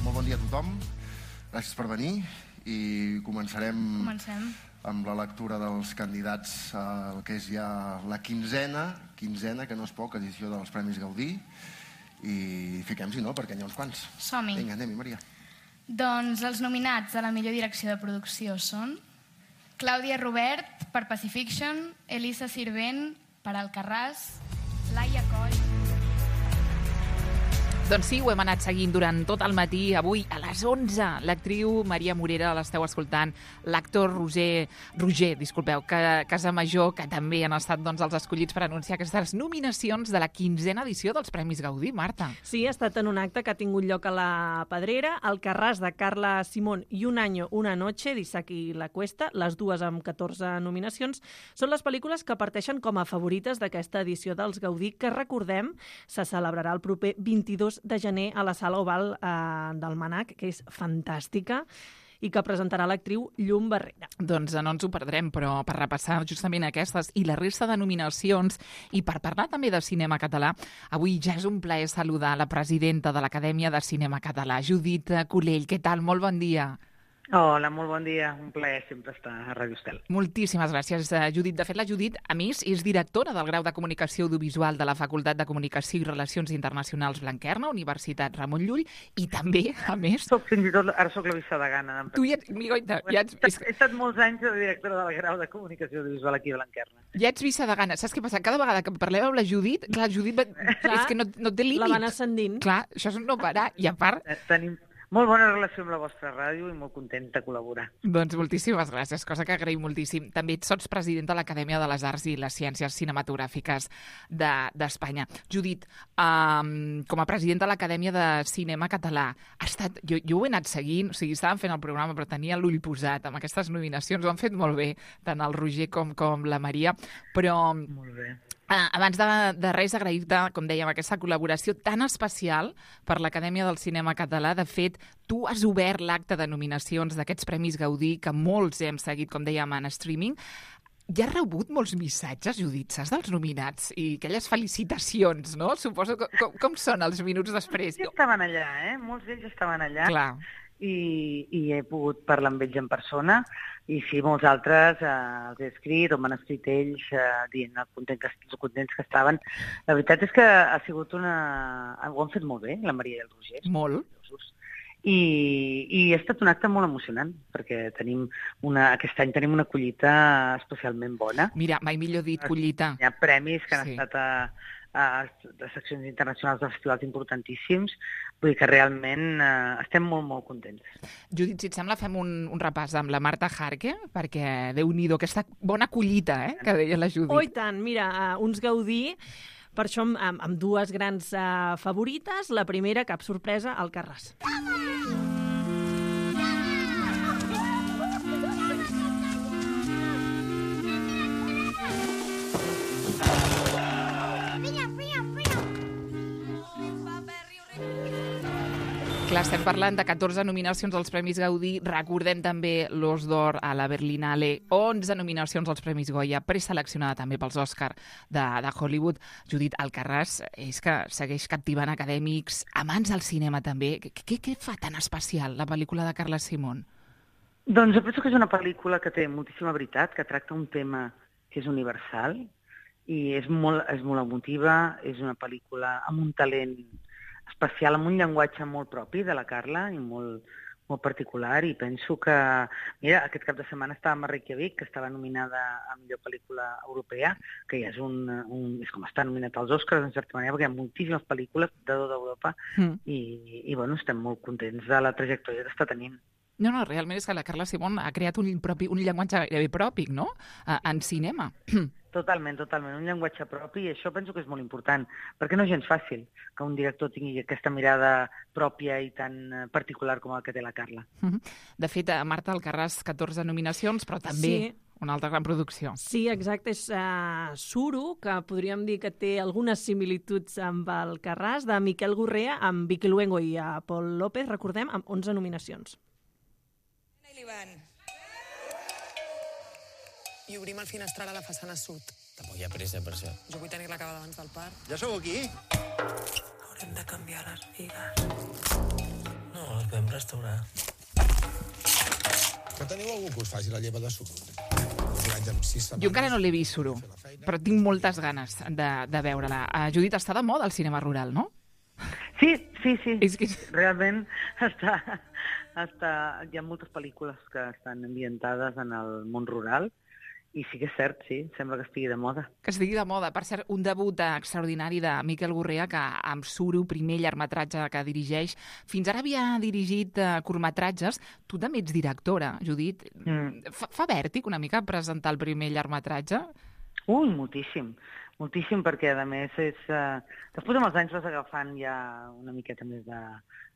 Molt bon dia a tothom. Gràcies per venir i comencem amb la lectura dels candidats al que és ja la quinzena, que no és poc, edició dels Premis Gaudí. I fiquem-s'hi, no?, perquè n'hi ha uns quants. Som-hi. Vinga, anem-hi, Maria. Doncs els nominats a la millor direcció de producció són Clàudia Robert per Pacifiction, Elisa Sirvent per Alcarràs, Laia Coll... Doncs sí, ho hem anat seguint durant tot el matí. Avui, a les 11, l'actriu Maria Morera, l'esteu escoltant, l'actor Roger Casamajor, que també han estat els escollits per anunciar aquestes nominacions de la quinzena edició dels Premis Gaudí. Marta. Sí, ha estat en un acte que ha tingut lloc a la Pedrera, Alcarràs de Carla Simón i Un año, una noche, d'Isaki La Cuesta, les dues amb 14 nominacions, són les pel·lícules que parteixen com a favorites d'aquesta edició dels Gaudí, que, recordem, se celebrarà el proper 22 de gener a la Sala Oval del Mnac, que és fantàstica, i que presentarà l'actriu Llum Barrera. Doncs no ens ho perdrem, però per repassar justament aquestes i la resta de nominacions i per parlar també de cinema català, avui ja és un plaer saludar la presidenta de l'Acadèmia de Cinema Català, Judit Culell. Què tal? Molt bon dia. Hola, molt bon dia. Un plaer sempre estar a Ràdio Estel. Moltíssimes gràcies, Judit. De fet, la Judit, a més, és directora del grau de Comunicació Audiovisual de la Facultat de Comunicació i Relacions Internacionals Blanquerna, Universitat Ramon Llull, i també, a més... Ara soc la vicedegana. Tu ja ets... He estat molts anys de directora del grau de Comunicació Audiovisual aquí a Blanquerna. Ja ets vicedegana. Saps què passa? Cada vegada que parlem amb la Judit, clar, Judit és que no té límit. La van ascendint. Clar, això és un no parar. I a part... Tenim molt bona relació amb la vostra ràdio i molt contenta de col·laborar. Doncs moltíssimes gràcies, cosa que agraïm moltíssim. També sots presidenta de l'Acadèmia de les Arts i les Ciències Cinematogràfiques d'Espanya. Judit, com a presidenta de l'Acadèmia de Cinema Català, jo ho he anat seguint, o sigui, estàvem fent el programa, però tenia l'ull posat amb aquestes nominacions. Ho han fet molt bé, tant el Roger com la Maria, però... Molt bé. Abans de res, agrair-te, com dèiem, aquesta col·laboració tan especial per l'Acadèmia del Cinema Català. De fet, tu has obert l'acte de nominacions d'aquests Premis Gaudí, que molts hem seguit, com dèiem, en streaming. Ja has rebut molts missatges, Judit, saps, dels nominats i aquelles felicitacions, no? Suposo com són els minuts després? Molts estaven allà, Molts d'ells estaven allà. Clar. I he pogut parlar amb ells en persona, i sí, molts altres els he escrit, o m'han escrit ells dient els contents que estaven. La veritat és que ha sigut ho han fet molt bé, la Maria i el Roger. Molt. I ha estat un acte molt emocionant, perquè aquest any tenim una collita especialment bona. Mira, mai millor dit, collita. Hi ha premis que han estat de seccions internacionals de festivals importantíssims, vull dir que realment estem molt, molt contents. Judit, si et sembla, fem un repàs amb la Marta Jarque, perquè Déu-n'hi-do, aquesta bona collita, que deia la Judit. Oh, i tant, mira, uns Gaudí, per això amb dues grans favorites. La primera, cap sorpresa, Alcarràs. Clar, estem parlant de 14 nominacions als Premis Gaudí. Recordem també l'Os d'Or a la Berlinale, 11 nominacions als Premis Goya, preseleccionada també pels Òscar de Hollywood. Judit, Alcarràs és que segueix captivant acadèmics, amants del cinema també. Què fa tan especial la pel·lícula de Carla Simón? Doncs jo penso que és una pel·lícula que té moltíssima veritat, que tracta un tema que és universal i és molt emotiva, és una pel·lícula amb un talent especial, amb un llenguatge molt propi de la Carla i molt particular, i penso que... Mira, aquest cap de setmana estàvem a Reykjavik, que estava nominada a millor pel·lícula europea, que ja és és com estar nominat als Oscars, en certa manera, perquè hi ha moltíssimes pel·lícules de tot Europa i bueno, estem molt contents de la trajectòria que està tenint. No, realment és que la Carla Simón ha creat un llenguatge gairebé propi, no?, en cinema. Totalment, un llenguatge propi, i això penso que és molt important, perquè no és gens fàcil que un director tingui aquesta mirada pròpia i tan particular com la que té la Carla. De fet, Marta, Alcarràs, 14 nominacions, però també una altra gran producció. Sí, exacte, és Suro, que podríem dir que té algunes similituds amb Alcarràs, de Miquel Gorrea, amb Vicky Luengo i Pol López, recordem, amb 11 nominacions. I obrim el finestral a la façana sud. Tampoc hi ha pressa per això. Jo vull tenir-la acabada abans del parc. Ja sou aquí? Haurem de canviar les bigues. No, espera. restaurar. Que teniu algú que us faci la lleva de suro? Jo encara no l'he vist, Suro, però tinc moltes ganes de veure-la. Judit, està de moda el cinema rural, no? Sí. És que... Realment hi ha moltes pel·lícules que estan ambientades en el món rural i sí que és cert, sí, sembla que estigui de moda. Que estigui de moda. Per cert, un debut extraordinari de Miquel Gurrea, que amb Suro, primer llargmetratge que dirigeix, fins ara havia dirigit curtmetratges. Tu també ets directora, Judit. Fa vèrtic una mica presentar el primer llargmetratge? Ui, moltíssim, perquè a més després amb els anys vas agafant ja una miqueta més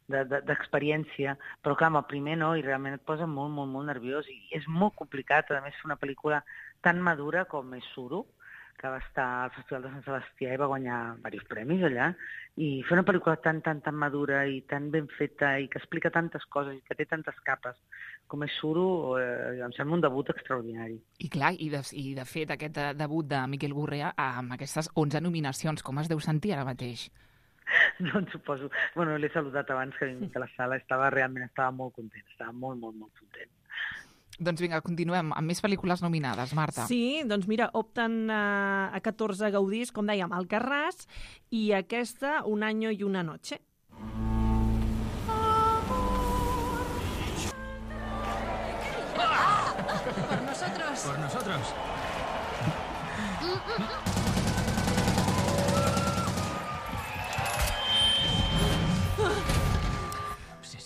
d'experiència, però clar, amb el primer no, i realment et posa molt, molt, molt nerviós, i és molt complicat, a més, fer una pel·lícula tan madura com és Suro, que va estar al Festival de Sant Sebastià i va guanyar diversos premis allà, i fer una pel·lícula tan madura i tan ben feta i que explica tantes coses i que té tantes capes com és Suro, em sembla un debut extraordinari. I clar, i de fet, aquest debut de Miquel Gurrea amb aquestes 11 nominacions, com es deu sentir ara mateix? Doncs suposo. Bueno, l'he saludat abans que he vingut a la sala, estava molt content, estava molt, molt, molt content. Doncs vinga, continuem amb més pel·lícules nominades, Marta. Sí, doncs mira, opten a 14 gaudís, com dèiem, Alcarràs, i aquesta, Un año y una noche. Por nosotros. Por nosotros.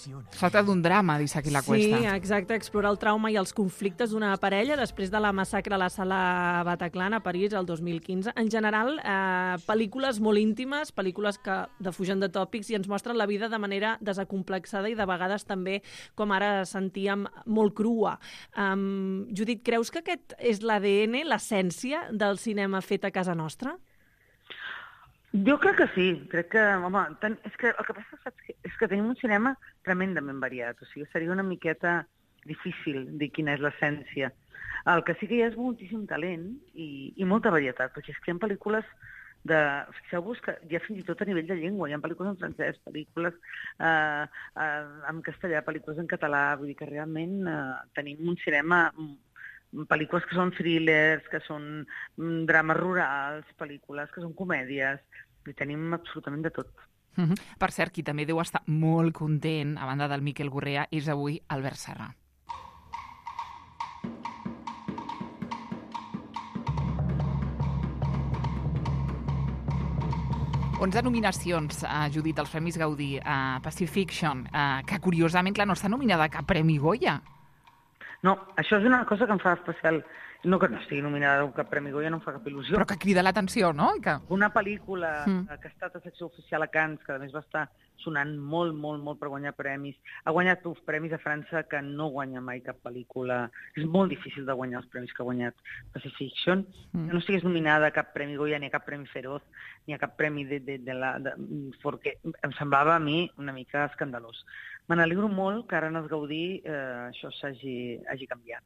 Es tracta d'un drama d'Isaac i la Cuesta. Sí, exacte, explorar el trauma i els conflictes d'una parella després de la massacre a la sala Bataclan a París el 2015. En general, pel·lícules molt íntimes, pel·lícules que defugen de tòpics i ens mostren la vida de manera desacomplexada i de vegades també, com ara sentíem, molt crua. Judit, creus que aquest és l'ADN, l'essència del cinema fet a casa nostra? Jo crec que sí, crec que, home, és que el que passa és que tenim un cinema tremendament variat, o sigui, seria una miqueta difícil dir quina és l'essència. El que sí que hi ha és moltíssim talent i molta varietat, perquè és que hi ha pel·lícules fixeu-vos que hi ha fins i tot a nivell de llengua, hi ha pel·lícules en francès, pel·lícules en castellà, pel·lícules en català, vull dir que realment tenim un cinema, pel·lícules que són thrillers, que són drames rurals, pel·lícules que són comèdies, i tenim absolutament de tot. Per cert, qui també deu estar molt content, a banda del Miquel Gurrea, és avui Albert Serra. Onze nominacions, Judit, als Premis Gaudí, a Pacifiction, que curiosament, clar, no està nominada a cap Premi Goya. No, això és una cosa que em fa especial. No que no estigui nominada a cap Premi Goya, no em fa cap il·lusió. Però que crida l'atenció, no? Una pel·lícula que ha estat a secció oficial a Cannes, que a més va estar sonant molt, molt, molt per guanyar premis. Ha guanyat uns premis a França que no guanya mai cap pel·lícula. És molt difícil de guanyar els premis que ha guanyat Pacifiction. Que no estigués nominada a cap Premi Goya, ni a cap Premi Feroz, ni a cap premi perquè em semblava a mi una mica escandalós. Me n'alegro molt que ara en els Gaudí això hagi canviat.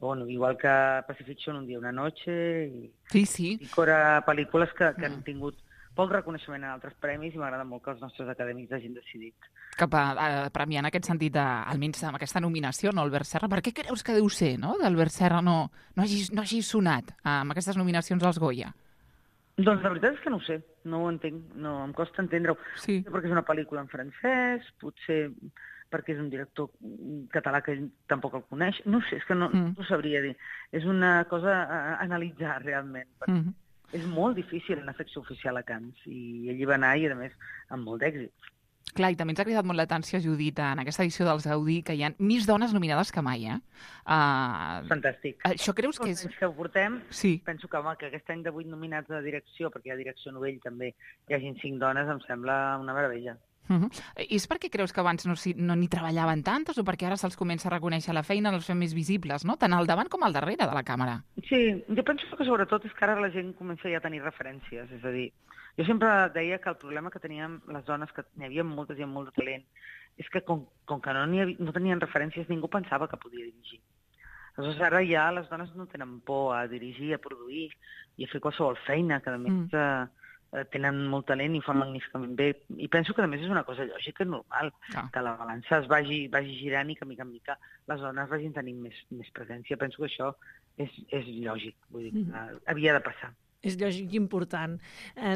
Bueno, igual que Pacifiction, Un dia una noche i Cora, pel·lícules que han tingut poc reconeixement en altres premis i m'agrada molt que els nostres acadèmics hagin decidit. Cap a premiar en aquest sentit, almenys amb aquesta nominació, no, Albert Serra. Per què creus que deu ser, no?, d'Albert Serra no hagi sonat amb aquestes nominacions als Goya? Doncs la veritat és que no ho sé, no ho entenc, no, em costa entendre-ho. Sí. Perquè és una pel·lícula en francès, potser perquè és un director català que tampoc el coneix, no sé, és que no ho sabria dir. És una cosa a analitzar realment. És molt difícil anar a secció oficial a Cannes i allí va anar i, a més, amb molt d'èxit. Clar, i també ens ha cridat molt l'atenció, Judit, en aquesta edició dels Gaudí, que hi ha més dones nominades que mai, Fantàstic. Això creus que és... Que ho portem, sí. Penso que, home, que aquest any de 8 nominats de direcció, perquè hi ha direcció novell també, hi hagin 5 dones, em sembla una meravella. És perquè creus que abans no n'hi treballaven tantes o perquè ara se'ls comença a reconèixer la feina, els fem més visibles, no? Tant al davant com al darrere de la càmera. Sí, jo penso que sobretot és que ara la gent comença ja a tenir referències, és a dir, jo sempre deia que el problema que teníem les dones, que n'hi havia moltes i amb molt de talent, és que com que no tenien referències, ningú pensava que podia dirigir. Aleshores, ara ja les dones no tenen por a dirigir, a produir i a fer qualsevol feina, que a més tenen molt talent i ho fan magníficament bé. I penso que, a més, és una cosa lògica i normal, que la balança es vagi girant i que, mica en mica, les dones vagin tenint més presència. Penso que això és lògic, vull dir, que havia de passar. És lògic i important.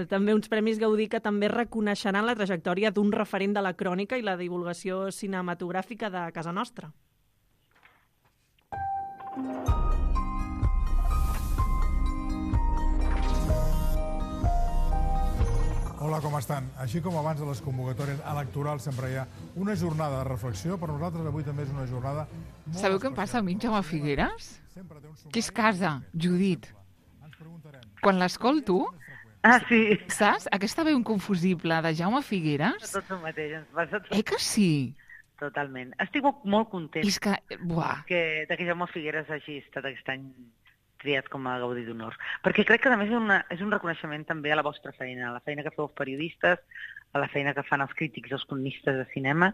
També uns Premis Gaudí que també reconeixeran la trajectòria d'un referent de la crònica i la divulgació cinematogràfica de casa nostra. Hola, com estan? Així com abans de les convocatòries electorals sempre hi ha una jornada de reflexió, per nosaltres avui també és una jornada... Sabeu què em passa a mi, Jaume Figueres? Que és casa, Judit. Quan l'escolto... Ah, sí. Saps? Aquesta veu inconfusible de Jaume Figueres... Tot el mateix, ens passa tot. Que sí? Totalment. Estic molt content és que, de que Jaume Figueres hagi estat aquest any triat com a Gaudí d'Honor. Perquè crec que, a més, és un reconeixement també a la vostra feina, a la feina que feu els periodistes, a la feina que fan els crítics, els cronistes de cinema,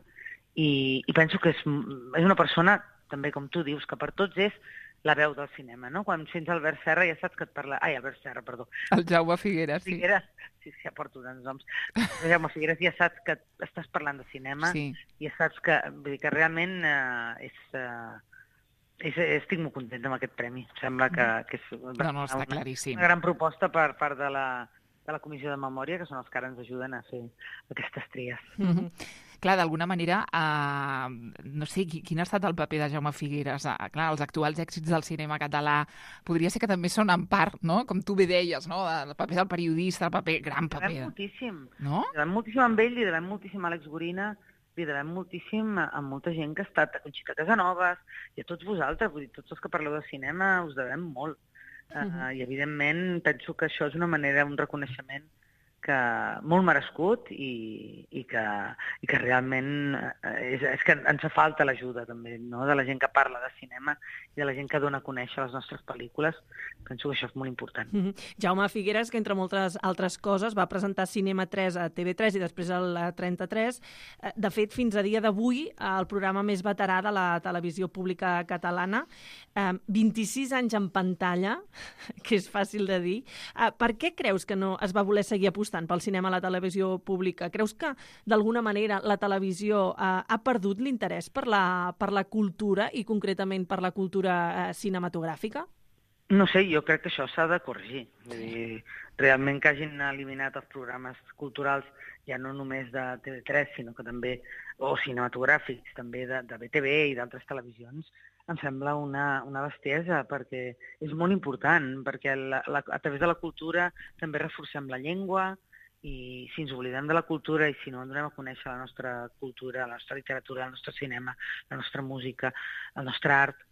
i penso que és una persona, també com tu dius, que per tots és la veu del cinema, no? Quan sents Albert Serra ja saps que et parla... Ai, Albert Serra, perdó. El Jaume Figueres, sí. Sí, ja porto tants noms. El Jaume Figueres ja saps que estàs parlant de cinema i ja saps que, vull dir, que realment estic molt contenta amb aquest premi. Sembla que és està claríssim. Una gran proposta per part de la Comissió de Memòria, que són els que ara ens ajuden a fer aquestes tries. Clar, d'alguna manera, no sé, quin ha estat el paper de Jaume Figueres? Clar, els actuals èxits del cinema català podria ser que també són en part, no? Com tu bé deies, no? El paper del periodista, el gran paper. Li devem moltíssim. No? Li devem moltíssim amb ell, li devem moltíssim a Àlex Gorina, li devem moltíssim a molta gent que ha estat a Conxita Casanovas i a tots vosaltres, vull dir, tots els que parleu de cinema us devem molt. I, evidentment, penso que això és una manera, un reconeixement molt merescut i que realment és que ens fa falta l'ajuda també, no? De la gent que parla de cinema i de la gent que dona a conèixer les nostres pel·lícules. Penso que això és molt important. Jaume Figueres, que entre moltes altres coses va presentar Cinema 3 a TV3 i després al 33. De fet, fins a dia d'avui, el programa més veterà de la televisió pública catalana. 26 anys en pantalla, que és fàcil de dir. Per què creus que no es va voler seguir apostant pel cinema a la televisió pública? Creus que, d'alguna manera, la televisió ha perdut l'interès per la cultura i, concretament, per la cultura cinematogràfica? No sé, jo crec que això s'ha de corregir. Vull dir, realment que hagin eliminat els programes culturals, ja no només de TV3, sinó que també, o cinematogràfics, també de BTV i d'altres televisions, em sembla una bestiesa, perquè és molt important, perquè a través de la cultura també reforcem la llengua, i si ens oblidem de la cultura i si no donem a conèixer la nostra cultura, la nostra literatura, el nostre cinema, la nostra música, el nostre art,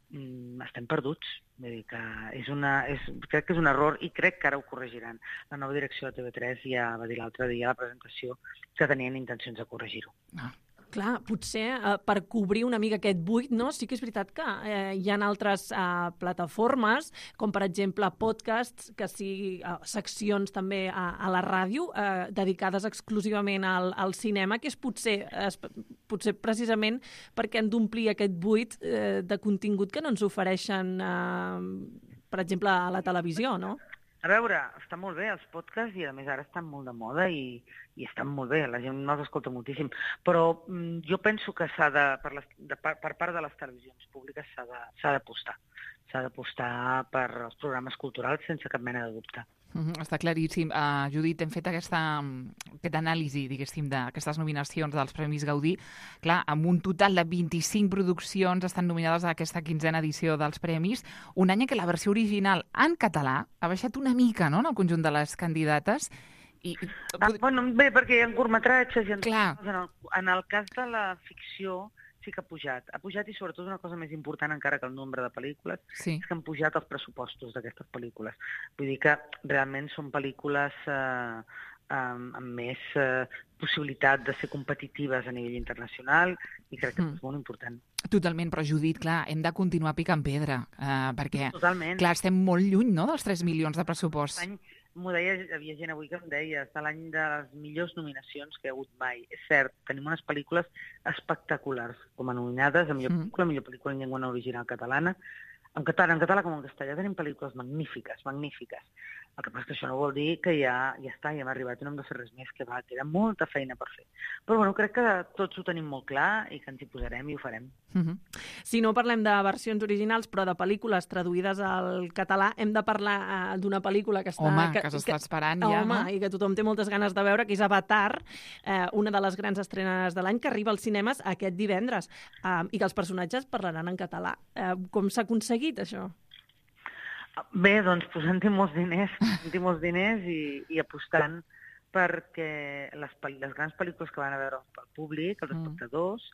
estem perduts. Vull dir que crec que és un error i crec que ara ho corregiran. La nova direcció de TV3 ja va dir l'altre dia a la presentació que tenien intencions de corregir-ho. Clar, potser per cobrir una mica aquest buit, no? Sí que és veritat que hi ha altres plataformes, com per exemple podcasts, que sí, seccions també a la ràdio, dedicades exclusivament al cinema, que és potser precisament perquè han d'omplir aquest buit de contingut que no ens ofereixen, per exemple, a la televisió, no? A veure, està molt bé els podcasts i a més ara estan molt de moda i estan molt bé, la gent no els escolta moltíssim, però jo penso que per part de les televisions públiques s'ha d'apostar. S'ha d'apostar per als programes culturals sense cap mena de dubte. Està claríssim. Judit, hem fet aquesta anàlisi, diguéssim, d'aquestes nominacions dels Premis Gaudí. Clar, amb un total de 25 produccions estan nominades a aquesta 15a edició dels Premis, un any en què la versió original en català ha baixat una mica, no?, en el conjunt de les candidates. Bé, perquè hi ha curtmetratges i en el cas de la ficció sí que ha pujat. Ha pujat i sobretot una cosa més important encara que el nombre de pel·lícules, és que han pujat els pressupostos d'aquestes pel·lícules. Vull dir que realment són pel·lícules amb més possibilitat de ser competitives a nivell internacional i crec que és molt important. Totalment, però Judit, clar, hem de continuar picant pedra, perquè clar, estem molt lluny, no?, dels 3 milions de pressupost. M'ho deia, hi havia gent avui que em deia, està l'any de les millors nominacions que hi ha hagut mai. És cert, tenim unes pel·lícules espectaculars com a nominades, a millor pel·lícula en llengua no original catalana. En català com en castellà tenim pel·lícules magnífiques. El que passa és que això no vol dir que ja està, ja hem arribat i no hem de fer res més, que queda molta feina per fer. Però bueno, crec que tots ho tenim molt clar i que ens hi posarem i ho farem. Si no parlem de versions originals, però de pel·lícules traduïdes al català, hem de parlar d'una pel·lícula que està... Home, que s'està esperant ja, no? I que tothom té moltes ganes de veure, que és Avatar, una de les grans estrenes de l'any, que arriba als cinemes aquest divendres, i que els personatges parlaran en català. Com s'ha aconseguit, això? Bé, doncs posant-hi molts diners i apostant perquè les grans pel·lícules que van a veure el públic, els espectadors,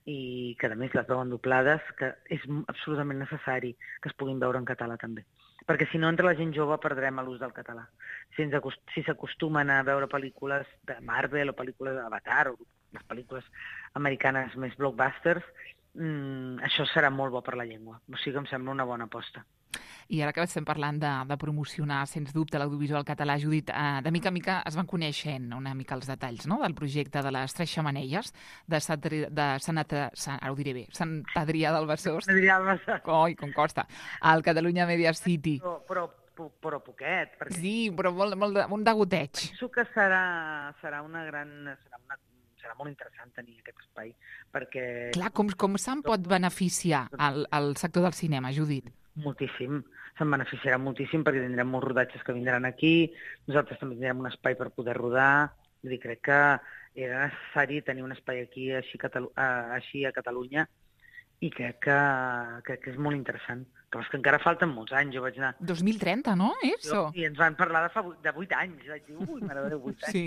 i que a més les veuen doblades, que és absolutament necessari que es puguin veure en català també. Perquè si no, entre la gent jove perdrem l'ús del català. Si s'acostumen a veure pel·lícules de Marvel o pel·lícules d'Avatar o les pel·lícules americanes més blockbusters, això serà molt bo per la llengua. O sigui que em sembla una bona aposta. I ara que estem parlant de promocionar, sens dubte, l'audiovisual català, Judit, de mica en mica es van coneixent una mica els detalls, no?, del projecte de les 3 xemeneies de Sant Adrià del Besòs. Coi, com costa. Al Catalunya Media City. Però poquet. Perquè... Sí, però un degoteig. Penso que serà molt interessant tenir aquest espai, perquè... Clar, com se'n pot beneficiar el sector del cinema, Judit? Moltíssim. Se'n beneficiarà moltíssim perquè tindrem molts rodatges que vindran aquí, nosaltres també tindrem un espai per poder rodar, vull dir, crec que era necessari tenir un espai aquí així a Catalunya i crec que és molt interessant. Però és que encara falten molts anys, jo vaig anar... 2030, no? Eso. I ens van parlar de 8 anys. Vaig dir, mare de 8 anys. Sí.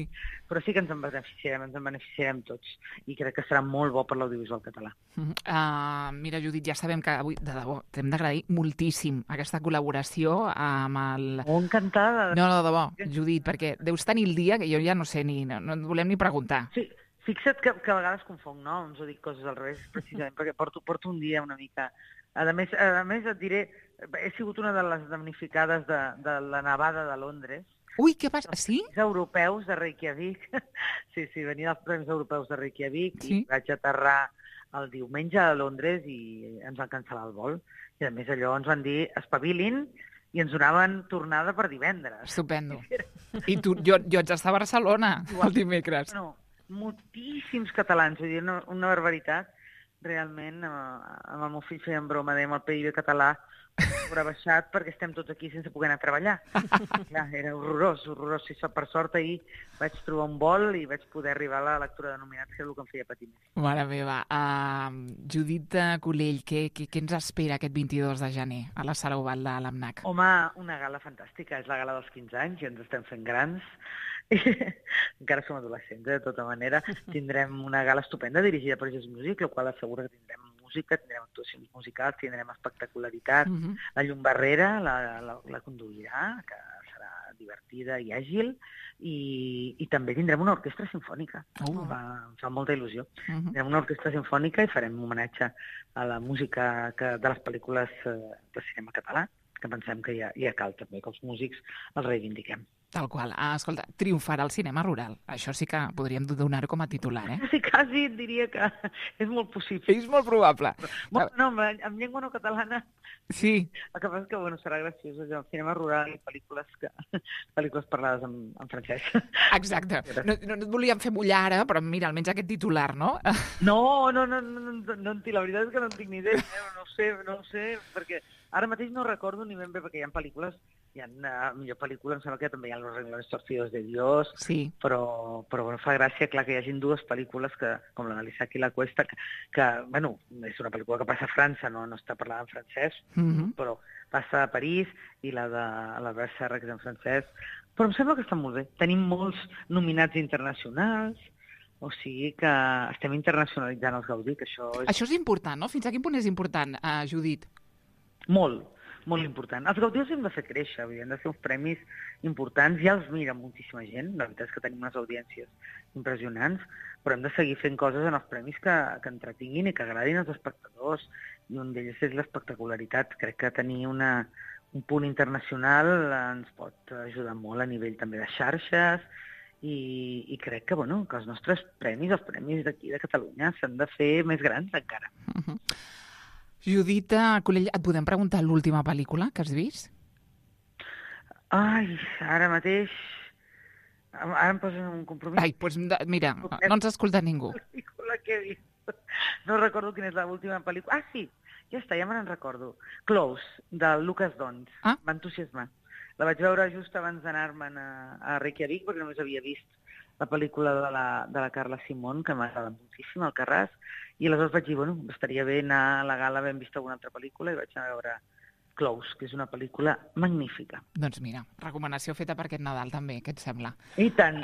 Però sí que ens en beneficiarem tots. I crec que serà molt bo per l'audiovisual català. Mira, Judit, ja sabem que avui, de debò, t'hem d'agrair moltíssim aquesta col·laboració amb el... Encantada. No, de debò, Judit, perquè deus tenir el dia que jo ja no sé no et volem ni preguntar. Sí. Fixa't que a vegades confonc noms o dic coses al revés, precisament perquè porto un dia una mica... A més et diré, he sigut una de les damnificades de la nevada de Londres. Ui, què passa? Sí? Els europeus de Reykjavik. Sí, venia dels Premis Europeus de Reykjavik i vaig aterrar el diumenge a Londres i ens van cancel·lar el vol. I a més allò ens van dir espavilin i ens donaven tornada per divendres. Estupendo. I tu, jo haig d'estar a Barcelona el dimecres. No, moltíssims catalans, vull dir, una barbaritat. Realment, amb el meu fill fèiem broma, dèiem el PIB català haurà baixat perquè estem tots aquí sense poder anar a treballar. Clar, era horrorós. Sí, per sort ahir vaig trobar un vol i vaig poder arribar a la lectura de nominats, que és el que em feia patir més. Mare meva. Judit Colell, què ens espera aquest 22 de gener a la Sala Oval de l'AMNAC? Home, una gala fantàstica. És la gala dels 15 anys i ens estem fent grans. Encara som adolescents, de tota manera. Tindrem una gala estupenda dirigida per Just Music, la qual assegura que tindrem música, tindrem actuacions musicals, tindrem espectacularitat. La Llum Barrera la conduirà, que serà divertida i àgil, i també tindrem una orquestra sinfònica. Em fa molta il·lusió. Tindrem una orquestra sinfònica i farem un homenatge a la música de les pel·lícules de cinema català, que pensem que ja cal també que els músics els reivindiquem. Tal qual. Escolta, triomfarà el cinema rural. Això sí que podríem donar-ho com a titular, eh? Sí, quasi et diria que és molt possible. És molt probable. No, en llengua no catalana... Sí. El que passa és que serà graciós, el cinema rural i pel·lícules parlades en francès. Exacte. No et volíem fer mullar ara, però mira, almenys aquest titular, no? No, la veritat és que no en tinc ni idea. No ho sé, perquè ara mateix no recordo ni ben bé, perquè hi ha pel·lícules, millor pel·lícula, em sembla que també hi ha Los Renglones Torcidos de Dios, sí. Però fa gràcia, clar, que hi hagin dues pel·lícules com la de l'Isaac i la Cuesta, que és una pel·lícula que passa a França, no està parlada en francès, però passa a París, i la de l'Albert Serra, que és en francès, però em sembla que està molt bé. Tenim molts nominats internacionals, o sigui que estem internacionalitzant els Gaudí, que això és... Això és important, no? Fins a quin punt és important, Judit? Molt important. Els Gaudí els hem de fer créixer, han de ser uns premis importants, ja els mira moltíssima gent, la veritat és que tenim unes audiències impressionants, però hem de seguir fent coses en els premis que entretinguin i que agradin als espectadors, i un d'ells és l'espectacularitat. Crec que tenir un punt internacional ens pot ajudar molt a nivell també de xarxes, i crec que els nostres premis, els premis d'aquí de Catalunya, s'han de fer més grans encara. Judit Colell, et podem preguntar l'última pel·lícula que has vist? Ai, ara mateix... Ara em posen un compromís. Ai, doncs mira, no ens escolta ningú. Pel·lícula que he vist. No recordo quina és l'última pel·lícula. Ah, sí, ja està, ja me n'en recordo. Close, del Lucas Dons. M'ha entusiasmat. La vaig veure just abans d'anar-me'n a Reykjavik, perquè només havia vist la pel·lícula de la Carla Simón, que m'agrada moltíssim, Alcarràs, i aleshores vaig dir, bueno, estaria bé anar a la gala havent vist alguna altra pel·lícula, i vaig anar a veure Close, que és una pel·lícula magnífica. Doncs mira, recomanació feta per aquest Nadal també, què et sembla? I tant.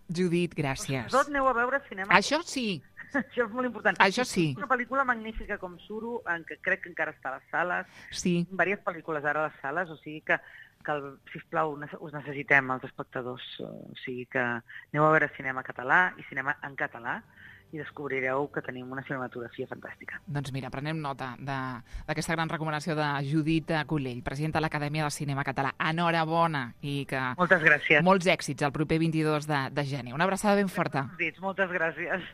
Judit, gràcies. Vosaltres aneu a veure cinema. Això sí. Això és molt important. Això sí. És una pel·lícula magnífica com Suro, en què crec que encara està a les sales. Sí. Diverses pel·lícules ara a les sales, o sigui que sisplau, us necessitem, els espectadors. O sigui que aneu a veure cinema català i cinema en català i descobrireu que tenim una cinematografia fantàstica. Doncs mira, prenem nota d'aquesta gran recomanació de Judit Collell, presidenta de l'Acadèmia de Cinema Català. Enhorabona i que... Moltes gràcies. Molts èxits el proper 22 de gener. Una abraçada ben forta. Moltes gràcies.